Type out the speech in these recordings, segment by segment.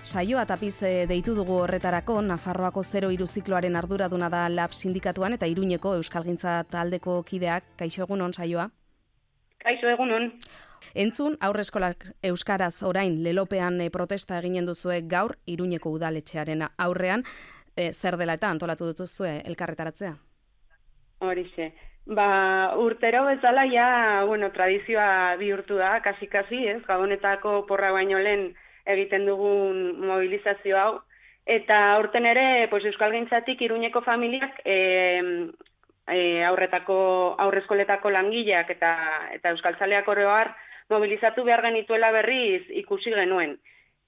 Saioa Tapiz deitu dugu horretarako, Nafarroako 03 zikloaren arduraduna da LAB sindikatuan eta Iruñeko Euskalgintza taldeko kideak. Kaixo egunon, Saioa? Kaixo egunon. Entzun, aurreskolak euskaraz orain lelopean protesta eginen duzue gaur Iruñeko udaletxearen aurrean. Zer dela eta antolatu dutuzue elkarretaratzea? Horixe. Urtero bezala tradizioa bihurtu da, kasi, ez? Gabonetako porra baino lehen egiten dugun mobilizazio hau. Eta aurten ere, Euskalgintzatik Iruñeko familiak aurreskoletako langileak eta euskaltzaleak oro har mobilizatu behar genituela berriz ikusi genuen.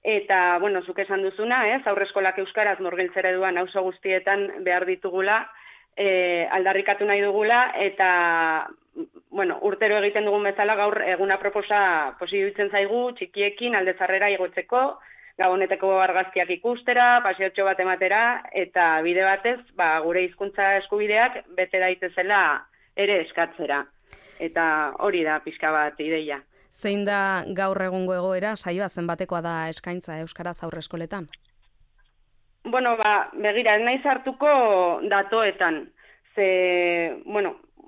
Eta, zuk esan duzuna, aurreskolak euskaraz murgiltzera duan auzo guztietan behar ditugula, aldarrikatu nahi dugula, eta, urtero egiten dugun bezala gaur eguna proposa iruditzen zaigu, txikiekin aldezarrera igotzeko, gaboneteko argazkiak ikustera, paseotxo bat ematera, eta bide batez, gure hizkuntza eskubideak bete daitezela ere eskatzera. Eta hori da pixka bat ideia. Zein da gaur egungo egoera, Saioa, zenbatekoa da eskaintza euskaraz aurreskoletan? Begira, ez naiz hartuko datoetan.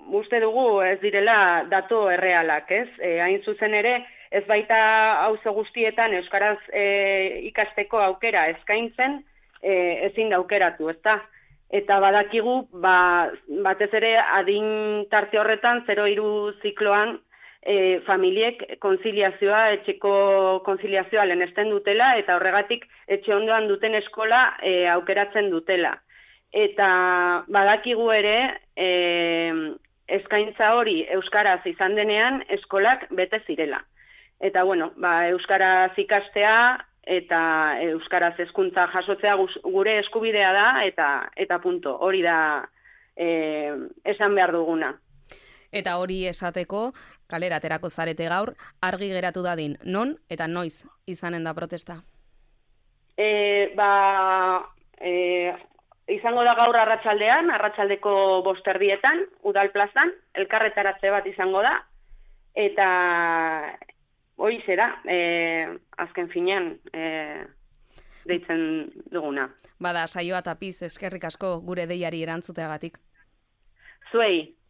Uste dugu ez direla dato errealak, ez? Hain zuzen ere, ez baita auzo guztietan euskaraz ikasteko aukera eskaintzen, ezin da aukeratu, ezta? Eta badakigu, batez ere adin tarte horretan, 03 zikloan, familiek konziliazioa, etxeko konziliazioa lehenesten dutela, eta horregatik etxe ondoan duten eskola aukeratzen dutela. Eta badakigu ere, eskaintza hori euskaraz izan denean, eskolak bete zirela. Eta euskaraz ikastea eta euskaraz hezkuntza jasotzea gure eskubidea da, eta punto, hori da esan behar duguna. Eta hori esateko, kalera aterako zarete gaur, argi geratu dadin, non eta noiz izanen da protesta? Izango da gaur arratsaldeko 5:00 Udal plazan, elkarretaratze bat izango da, eta hori zera, azken finean deitzen duguna. Saioa Tapiz, eskerrik asko gure deiari erantzuteagatik. Zuei.